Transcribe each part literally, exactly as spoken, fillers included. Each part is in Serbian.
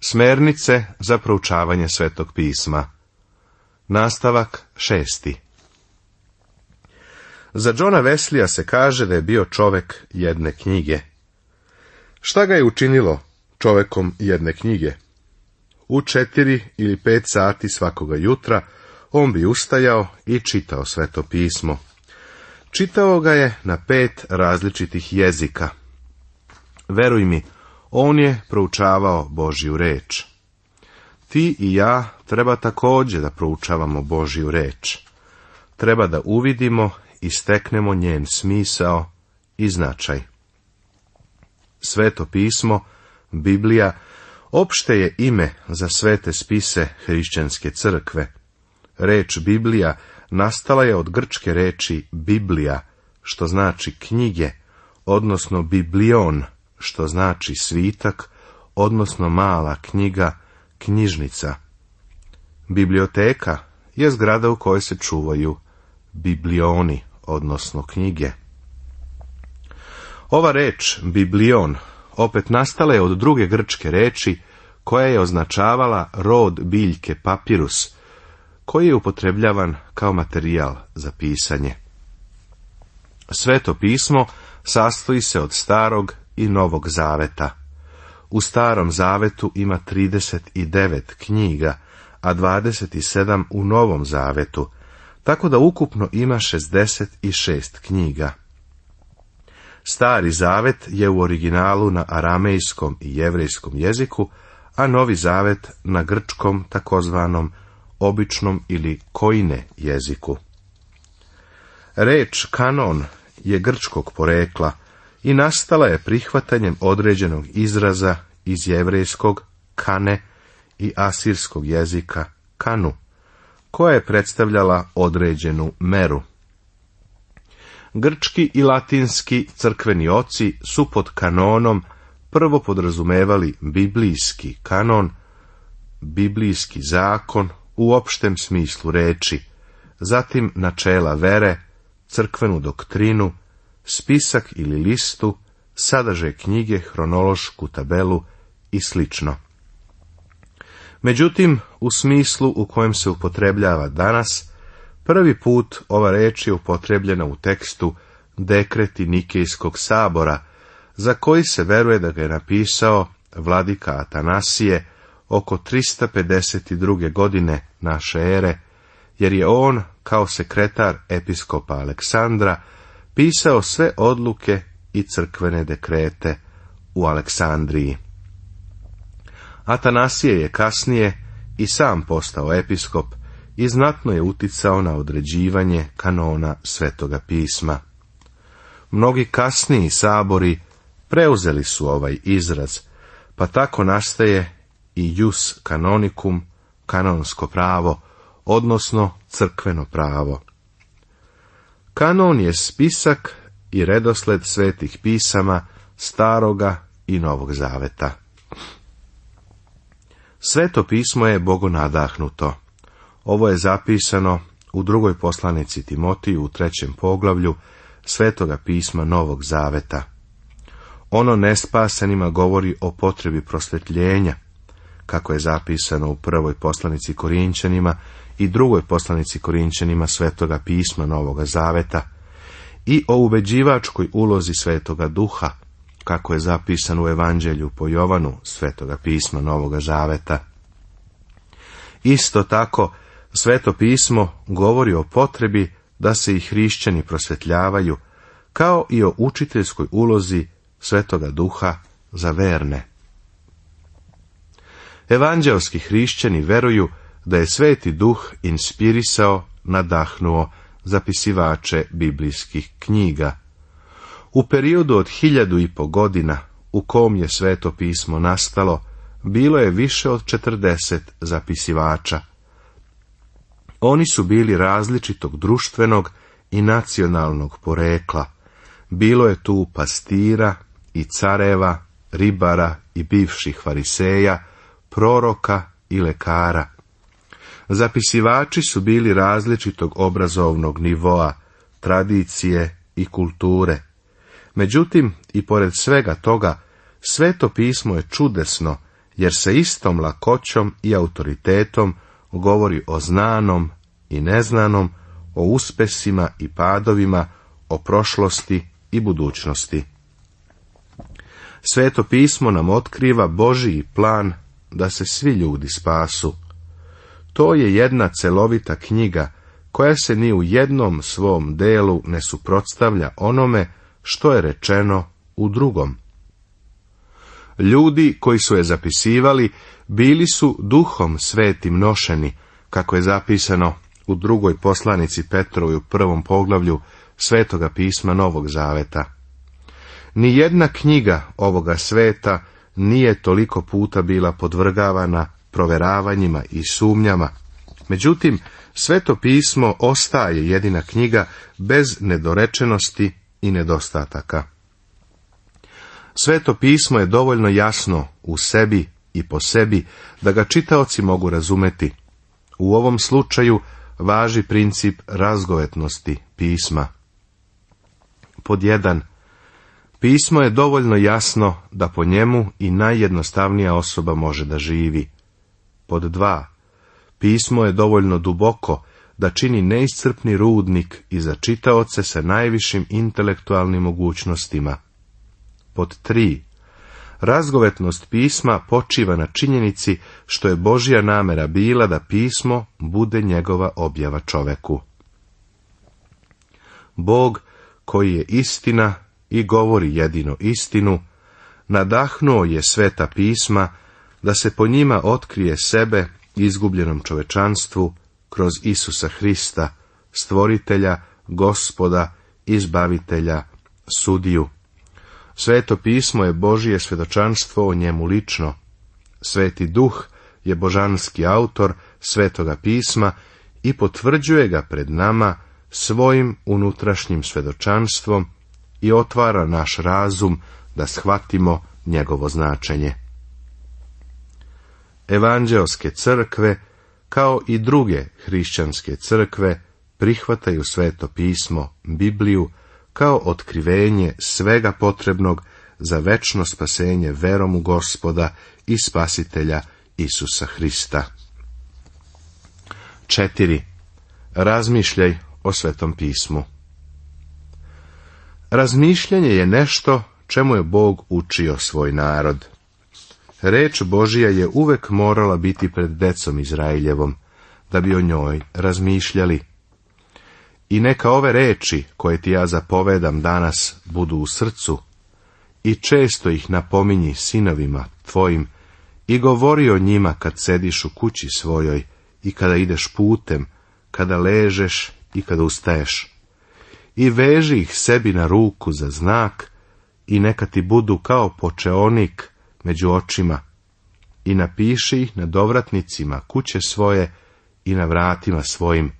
Smernice za proučavanje Svetog pisma. Nastavak šesti. Za Johna Wesleya se kaže da je bio čovek jedne knjige. Šta ga je učinilo čovekom jedne knjige? U četiri ili pet sati svakoga jutra on bi ustajao i čitao Sveto pismo. Čitao ga je na pet različitih jezika. Veruj mi, on je proučavao Božju reč. Ti i ja treba također da proučavamo Božju reč. Treba da uvidimo i steknemo njen smisao i značaj. Sveto pismo, Biblija, opšte je ime za svete spise hrišćanske crkve. Reč Biblija nastala je od grčke reči Biblija, što znači knjige, odnosno biblion, što znači svitak, odnosno mala knjiga, knjižnica. Biblioteka je zgrada u kojoj se čuvaju biblioni, odnosno knjige. Ova reč, biblion, opet nastala je od druge grčke reči, koja je označavala rod biljke papirus, koji je upotrebljavan kao materijal za pisanje. Sveto pismo sastoji se od starog i novog zaveta. U starom zavetu ima trideset devet knjiga, a dvadeset sedam u novom zavetu, tako da ukupno ima šezdeset šest knjiga. Stari zavet je u originalu na aramejskom i jevrejskom jeziku, a novi zavet na grčkom takozvanom običnom ili koine jeziku. Reč kanon je grčkog porekla i nastala je prihvatanjem određenog izraza iz jevrejskog kane i asirskog jezika kanu, koja je predstavljala određenu meru. Grčki i latinski crkveni oci su pod kanonom prvo podrazumevali biblijski kanon, biblijski zakon u opštem smislu reči, zatim načela vere, crkvenu doktrinu, spisak ili listu, sadržaj knjige, hronološku tabelu i slično. Međutim, u smislu u kojem se upotrebljava danas, prvi put ova reč je upotrebljena u tekstu Dekreti Nikejskog sabora, za koji se veruje da ga je napisao vladika Atanasije oko trista pedeset druge godine naše ere, jer je on, kao sekretar episkopa Aleksandra, pisao sve odluke i crkvene dekrete u Aleksandriji. Atanasije je kasnije i sam postao episkop i znatno je uticao na određivanje kanona Svetoga pisma. Mnogi kasniji sabori preuzeli su ovaj izraz, pa tako nastaje i jus canonicum, kanonsko pravo, odnosno crkveno pravo. Kanon je spisak i redosled svetih pisama Staroga i Novog zaveta. Sveto pismo je bogonadahnuto. Ovo je zapisano u drugoj poslanici Timotiju u trećem poglavlju Svetoga pisma Novog zaveta. Ono nespasanima govori o potrebi prosvetljenja, kako je zapisano u prvoj poslanici Korinćanima i drugoj poslanici Korinćanima Svetoga pisma Novoga zaveta, i o ubeđivačkoj ulozi Svetoga duha, kako je zapisano u Evanđelju po Jovanu Svetoga pisma Novoga zaveta. Isto tako, Sveto pismo govori o potrebi da se i hrišćani prosvetljavaju, kao i o učiteljskoj ulozi Svetoga duha za verne. Evanđelski hrišćani veruju da je Sveti duh inspirisao, nadahnuo zapisivače biblijskih knjiga. U periodu od hiljadu i po godina u kom je Sveto pismo nastalo, bilo je više od četrdeset zapisivača. Oni su bili različitog društvenog i nacionalnog porekla. Bilo je tu pastira i careva, ribara i bivših fariseja, proroka i lekara. Zapisivači su bili različitog obrazovnog nivoa, tradicije i kulture. Međutim, i pored svega toga, Sveto pismo je čudesno, jer se istom lakoćom i autoritetom govori o znanom i neznanom, o uspesima i padovima, o prošlosti i budućnosti. Sveto pismo nam otkriva Božji plan da se svi ljudi spasu. To je jedna celovita knjiga koja se ni u jednom svom delu ne suprotstavlja onome što je rečeno u drugom. Ljudi koji su je zapisivali bili su duhom svetim nošeni, kako je zapisano u drugoj poslanici Petrovoj u prvom poglavlju Svetoga pisma Novog Zaveta. Nijedna knjiga ovoga sveta nije toliko puta bila podvrgavana proveravanjima i sumnjama. Međutim, Sveto pismo ostaje jedina knjiga bez nedorečenosti i nedostataka. Sveto pismo je dovoljno jasno u sebi i po sebi da ga čitaoci mogu razumeti. U ovom slučaju važi princip razgovetnosti pisma. Pod jedan. Pismo je dovoljno jasno da po njemu i najjednostavnija osoba može da živi. Pod dva. Pismo je dovoljno duboko da čini neiscrpni rudnik i za čitaoce sa najvišim intelektualnim mogućnostima. Pod tri. Razgovetnost pisma počiva na činjenici što je Božja namera bila da pismo bude njegova objava čoveku. Bog, koji je istina i govori jedino istinu, nadahnuo je sveta pisma da se po njima otkrije sebe izgubljenom čovečanstvu kroz Isusa Hrista, stvoritelja, gospoda, izbavitelja, sudiju. Sveto pismo je Božje svjedočanstvo o njemu lično. Sveti Duh je božanski autor Svetoga pisma i potvrđuje ga pred nama svojim unutrašnjim svjedočanstvom i otvara naš razum da shvatimo njegovo značenje. Evanđeoske crkve, kao i druge hrišćanske crkve, prihvataju Sveto pismo, Bibliju, kao otkrivenje svega potrebnog za večno spasenje verom u Gospoda i Spasitelja Isusa Hrista. četiri. Razmišljaj o Svetom pismu. Razmišljanje je nešto čemu je Bog učio svoj narod. Reč Božija je uvek morala biti pred decom Izraeljevom, da bi o njoj razmišljali. I neka ove reči koje ti ja zapovedam danas budu u srcu i često ih napominji sinovima tvojim i govori o njima kad sediš u kući svojoj i kada ideš putem, kada ležeš i kada ustaješ. I veži ih sebi na ruku za znak i neka ti budu kao počeonik među očima i napiši ih na dovratnicima kuće svoje i na vratima svojim.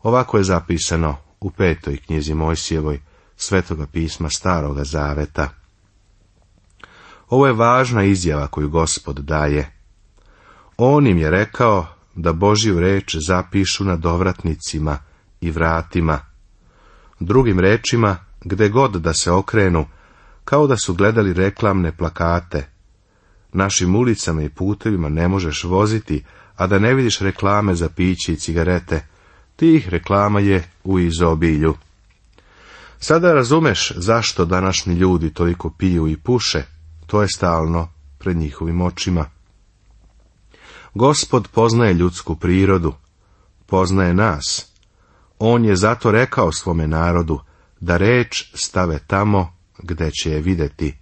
Ovako je zapisano u petoj knjizi Mojsijevoj Svetoga pisma Staroga Zaveta. Ovo je važna izjava koju Gospod daje. On im je rekao da Božju reč zapišu na dovratnicima i vratima. Drugim rečima, gde god da se okrenu, kao da su gledali reklamne plakate. Našim ulicama i putevima ne možeš voziti, a da ne vidiš reklame za piće i cigarete. Tih reklama je u izobilju. Sada razumeš zašto današnji ljudi toliko piju i puše, to je stalno pred njihovim očima. Gospod poznaje ljudsku prirodu, poznaje nas. On je zato rekao svome narodu da reč stave tamo gde će je videti.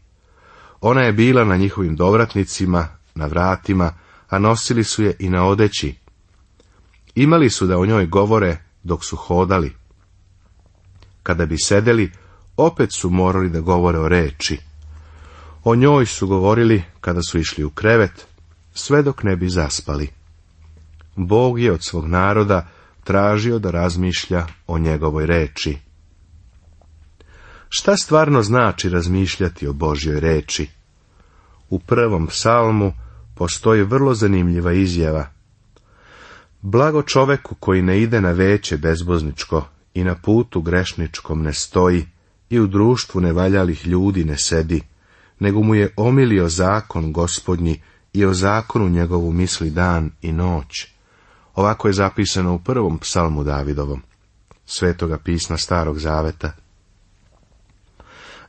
Ona je bila na njihovim dovratnicima, na vratima, a nosili su je i na odeći. Imali su da o njoj govore dok su hodali. Kada bi sedeli, opet su morali da govore o reči. O njoj su govorili kada su išli u krevet, sve dok ne bi zaspali. Bog je od svog naroda tražio da razmišlja o njegovoj reči. Šta stvarno znači razmišljati o Božjoj reči? U prvom psalmu postoji vrlo zanimljiva izjava. Blago čoveku koji ne ide na veće bezbozničko i na putu grešničkom ne stoji i u društvu nevaljalih ljudi ne sedi, nego mu je omilio zakon Gospodnji i o zakonu njegovu misli dan i noć. Ovako je zapisano u prvom psalmu Davidovom, Svetoga pisma Starog Zaveta.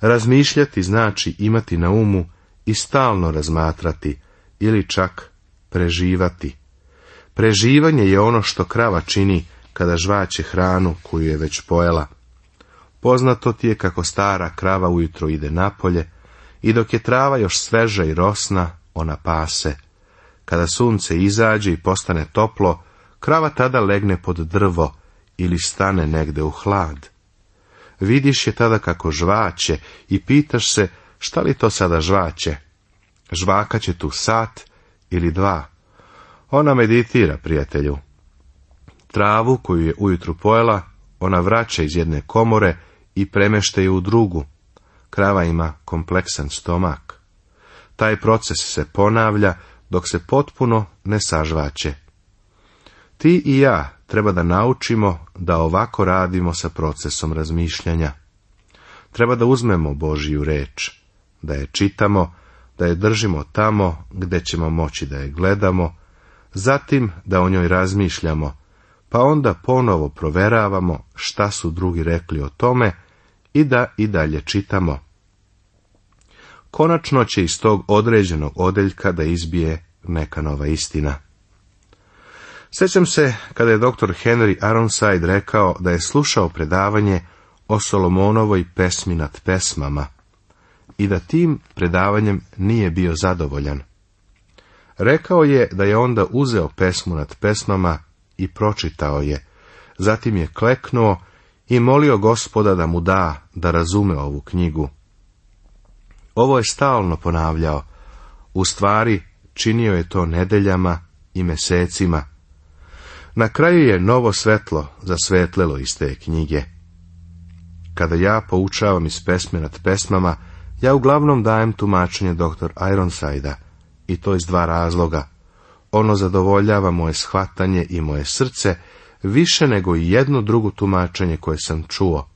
Razmišljati znači imati na umu i stalno razmatrati, ili čak preživati. Preživanje je ono što krava čini kada žvaće hranu koju je već pojela. Poznato ti je kako stara krava ujutro ide napolje i dok je trava još sveža i rosna, ona pase. Kada sunce izađe i postane toplo, krava tada legne pod drvo ili stane negde u hlad. Vidiš je tada kako žvaće i pitaš se šta li to sada žvaće. Žvakaće tu sat ili dva. Ona meditira, prijatelju. Travu koju je ujutru pojela, ona vraća iz jedne komore i premešta je u drugu. Krava ima kompleksan stomak. Taj proces se ponavlja dok se potpuno ne sažvaće. Ti i ja treba da naučimo da ovako radimo sa procesom razmišljanja. Treba da uzmemo Božju reč, da je čitamo, da je držimo tamo gde ćemo moći da je gledamo, zatim da o njoj razmišljamo, pa onda ponovo proveravamo šta su drugi rekli o tome i da i dalje čitamo. Konačno će iz tog određenog odeljka da izbije neka nova istina. Sjećam se kada je doktor Henry Ironside rekao da je slušao predavanje o Solomonovoj pesmi nad pesmama i da tim predavanjem nije bio zadovoljan. Rekao je da je onda uzeo pesmu nad pesmama i pročitao je, zatim je kleknuo i molio Gospoda da mu da da razume ovu knjigu. Ovo je stalno ponavljao, u stvari činio je to nedeljama i mesecima. Na kraju je novo svetlo zasvetlelo iz te knjige. Kada ja poučavam iz pesme nad pesmama, ja uglavnom dajem tumačenje doktor Ironside-a, i to iz dva razloga. Ono zadovoljava moje shvatanje i moje srce više nego i jedno drugo tumačenje koje sam čuo.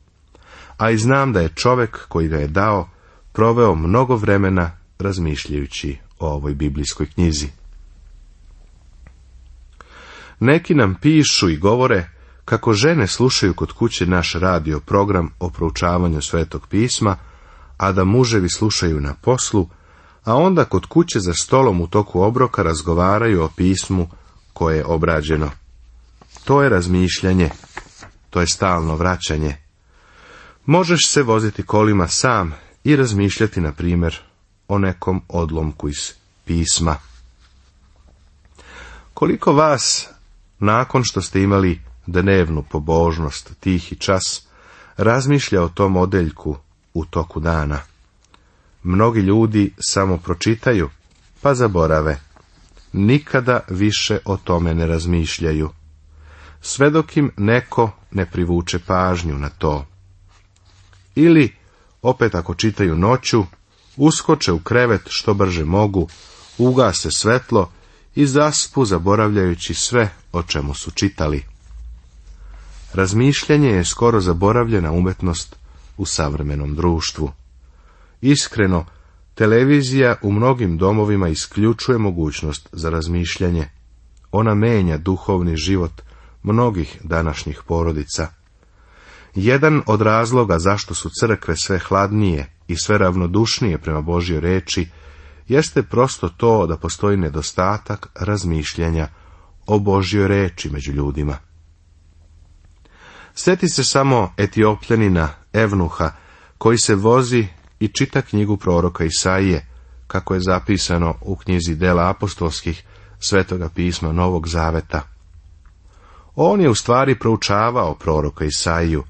A i znam da je čovek koji ga je dao proveo mnogo vremena razmišljajući o ovoj biblijskoj knjizi. Neki nam pišu i govore kako žene slušaju kod kuće naš radio program o proučavanju Svetog pisma, a da muževi slušaju na poslu, a onda kod kuće za stolom u toku obroka razgovaraju o pismu koje je obrađeno. To je razmišljanje, to je stalno vraćanje. Možeš se voziti kolima sam i razmišljati, na primjer, o nekom odlomku iz pisma. Koliko vas, nakon što ste imali dnevnu pobožnost, tihi čas, razmišlja o tom odeljku u toku dana? Mnogi ljudi samo pročitaju, pa zaborave. Nikada više o tome ne razmišljaju. Sve dok im neko ne privuče pažnju na to. Ili, opet ako čitaju noću, uskoče u krevet što brže mogu, ugase svetlo i zaspu zaboravljajući sve o čemu su čitali. Razmišljanje je skoro zaboravljena umetnost u savremenom društvu. Iskreno, televizija u mnogim domovima isključuje mogućnost za razmišljanje. Ona menja duhovni život mnogih današnjih porodica. Jedan od razloga zašto su crkve sve hladnije i sve ravnodušnije prema Božjoj reči jeste prosto to da postoji nedostatak razmišljanja o Božjoj reči među ljudima. Sjeti se samo Etiopljanina Evnuha koji se vozi i čita knjigu proroka Isaije, kako je zapisano u knjizi Dela apostolskih Svetoga pisma Novog Zaveta. On je u stvari proučavao proroka Isaiju,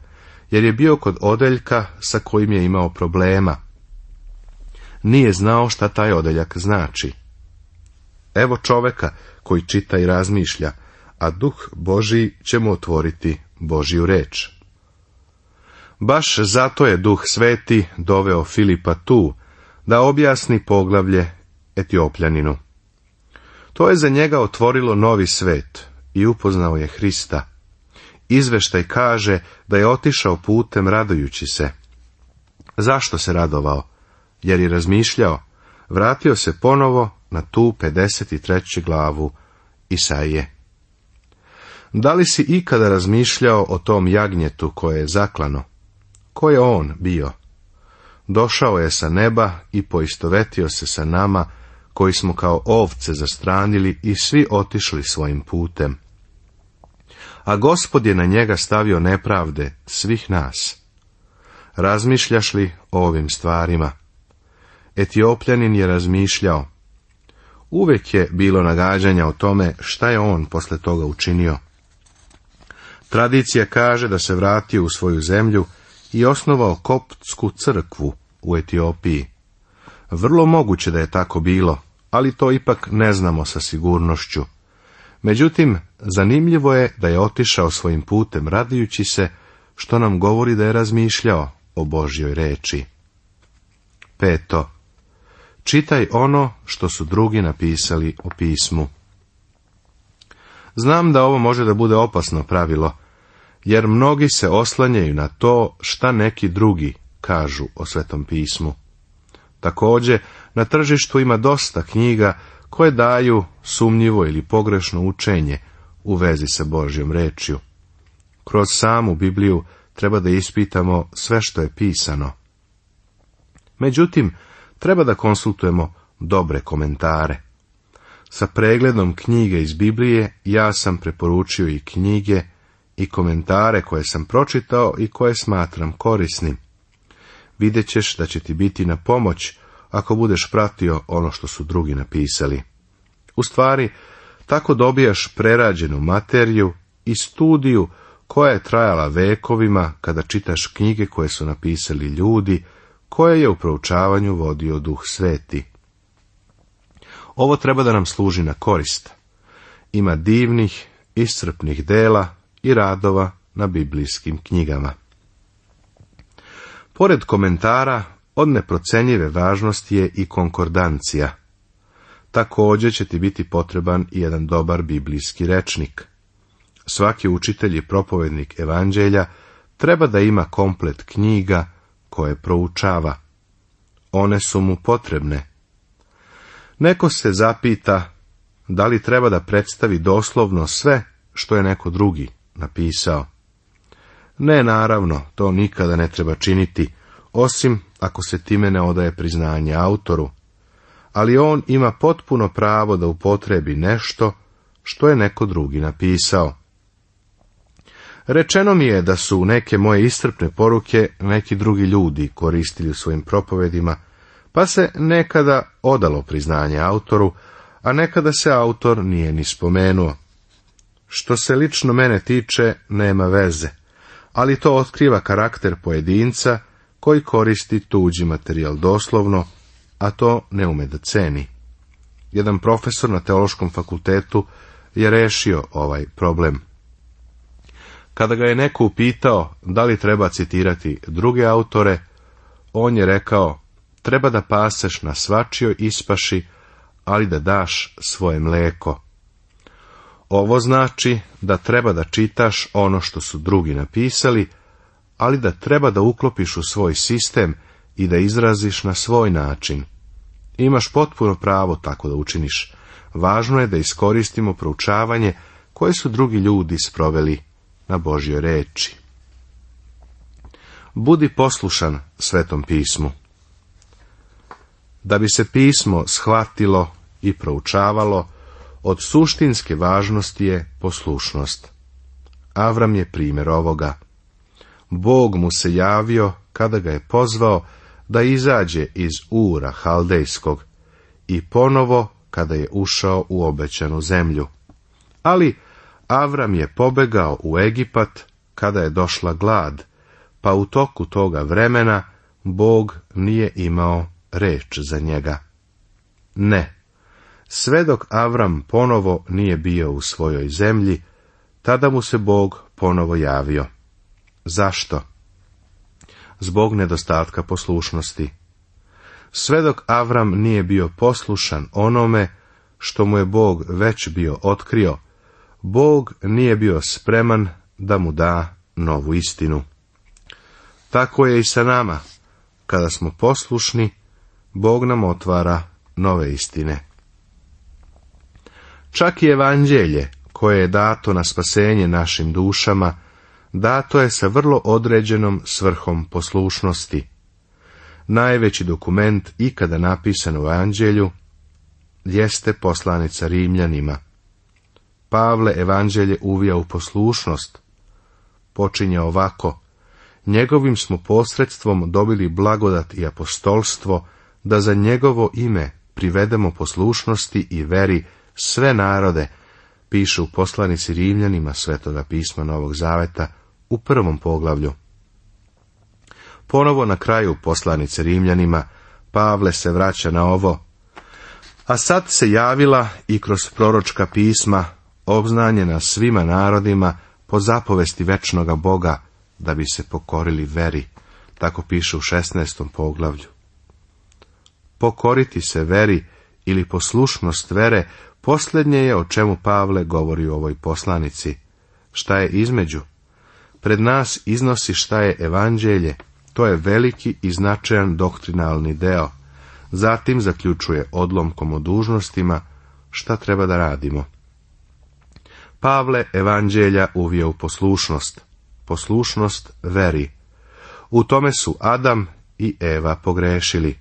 jer je bio kod odeljka sa kojim je imao problema. Nije znao šta taj odeljak znači. Evo čoveka koji čita i razmišlja, a Duh Božji će mu otvoriti Božju reč. Baš zato je Duh Sveti doveo Filipa tu, da objasni poglavlje Etiopljaninu. To je za njega otvorilo novi svet i upoznao je Hrista. Izveštaj kaže da je otišao putem radujući se. Zašto se radovao? Jer je razmišljao, vratio se ponovo na tu pedeset treću glavu Isaije. Da li si ikada razmišljao o tom jagnjetu koje je zaklano? Ko je on bio? Došao je sa neba i poistovetio se sa nama, koji smo kao ovce zastranili i svi otišli svojim putem. A Gospod je na njega stavio nepravde svih nas. Razmišljaš li o ovim stvarima? Etiopljanin je razmišljao. Uvijek je bilo nagađanja o tome šta je on posle toga učinio. Tradicija kaže da se vratio u svoju zemlju i osnovao koptsku crkvu u Etiopiji. Vrlo moguće da je tako bilo, ali to ipak ne znamo sa sigurnošću. Međutim, zanimljivo je da je otišao svojim putem radujući se, što nam govori da je razmišljao o Božjoj reči. Peto. Čitaj ono što su drugi napisali u pismu. Znam da ovo može da bude opasno pravilo, jer mnogi se oslanjaju na to šta neki drugi kažu o Svetom pismu. Također, na tržištu ima dosta knjiga koje daju sumnjivo ili pogrešno učenje u vezi sa Božjom rečju. Kroz samu Bibliju treba da ispitamo sve što je pisano. Međutim, treba da konsultujemo dobre komentare. Sa pregledom knjige iz Biblije ja sam preporučio i knjige i komentare koje sam pročitao i koje smatram korisnim. Vidjet ćeš da će ti biti na pomoć ako budeš pratio ono što su drugi napisali. U stvari, tako dobijaš prerađenu materiju i studiju koja je trajala vekovima kada čitaš knjige koje su napisali ljudi koje je u proučavanju vodio Duh Sveti. Ovo treba da nam služi na korist. Ima divnih, iscrpnih dela i radova na biblijskim knjigama. Pored komentara, od neprocenjive važnosti je i konkordancija. Također će ti biti potreban i jedan dobar biblijski rečnik. Svaki učitelj i propovednik evanđelja treba da ima komplet knjiga koje proučava. One su mu potrebne. Neko se zapita da li treba da predstavi doslovno sve što je neko drugi napisao. Ne, naravno, to nikada ne treba činiti, osim ako se time ne odaje priznanje autoru, ali on ima potpuno pravo da upotrebi nešto što je neko drugi napisao. Rečeno mi je da su neke moje iscrpne poruke neki drugi ljudi koristili u svojim propovedima, pa se nekada odalo priznanje autoru, a nekada se autor nije ni spomenuo. Što se lično mene tiče, nema veze, ali to otkriva karakter pojedinca koji koristi tuđi materijal doslovno, a to ne ume da ceni. Jedan profesor na teološkom fakultetu je rešio ovaj problem. Kada ga je neko upitao da li treba citirati druge autore, on je rekao, treba da paseš na svačijoj ispaši, ali da daš svoje mleko. Ovo znači da treba da čitaš ono što su drugi napisali, ali da treba da uklopiš u svoj sistem i da izraziš na svoj način. Imaš potpuno pravo tako da učiniš. Važno je da iskoristimo proučavanje koje su drugi ljudi sproveli na Božjoj reči. Budi poslušan Svetom pismu. Da bi se pismo shvatilo i proučavalo, od suštinske važnosti je poslušnost. Avram je primjer ovoga. Bog mu se javio kada ga je pozvao da izađe iz Ura Haldejskog i ponovo kada je ušao u obećanu zemlju. Ali Avram je pobegao u Egipat kada je došla glad, pa u toku toga vremena Bog nije imao reč za njega. Ne, sve dok Avram ponovo nije bio u svojoj zemlji, tada mu se Bog ponovo javio. Zašto? Zbog nedostatka poslušnosti. Sve dok Avram nije bio poslušan onome što mu je Bog već bio otkrio, Bog nije bio spreman da mu da novu istinu. Tako je i sa nama. Kada smo poslušni, Bog nam otvara nove istine. Čak i evanđelje, koje je dato na spasenje našim dušama, dato je sa vrlo određenom svrhom poslušnosti. Najveći dokument ikada napisan u evanđelju jeste poslanica Rimljanima. Pavle evanđelje uvija u poslušnost. Počinje ovako: njegovim smo posredstvom dobili blagodat i apostolstvo, da za njegovo ime privedemo poslušnosti i veri sve narode, piše u poslanici Rimljanima Svetoga pisma Novog Zaveta u prvom poglavlju. Ponovo na kraju poslanice Rimljanima Pavle se vraća na ovo: a sad se javila i kroz proročka pisma, obznanjena svima narodima po zapovesti večnoga Boga, da bi se pokorili veri. Tako piše u šesnaestom poglavlju. Pokoriti se veri ili poslušnost vere, posljednje je o čemu Pavle govori u ovoj poslanici. Šta je između? Pred nas iznosi šta je evanđelje, to je veliki i značajan doktrinalni deo. Zatim zaključuje odlomkom o dužnostima šta treba da radimo. Pavle evanđelja uvija u poslušnost. Poslušnost veri. U tome su Adam i Eva pogrešili.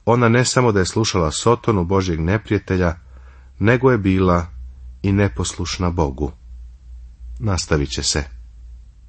Ona ne samo da je slušala Sotonu, Božjeg neprijatelja, nego je bila i neposlušna Bogu. Nastavit će se.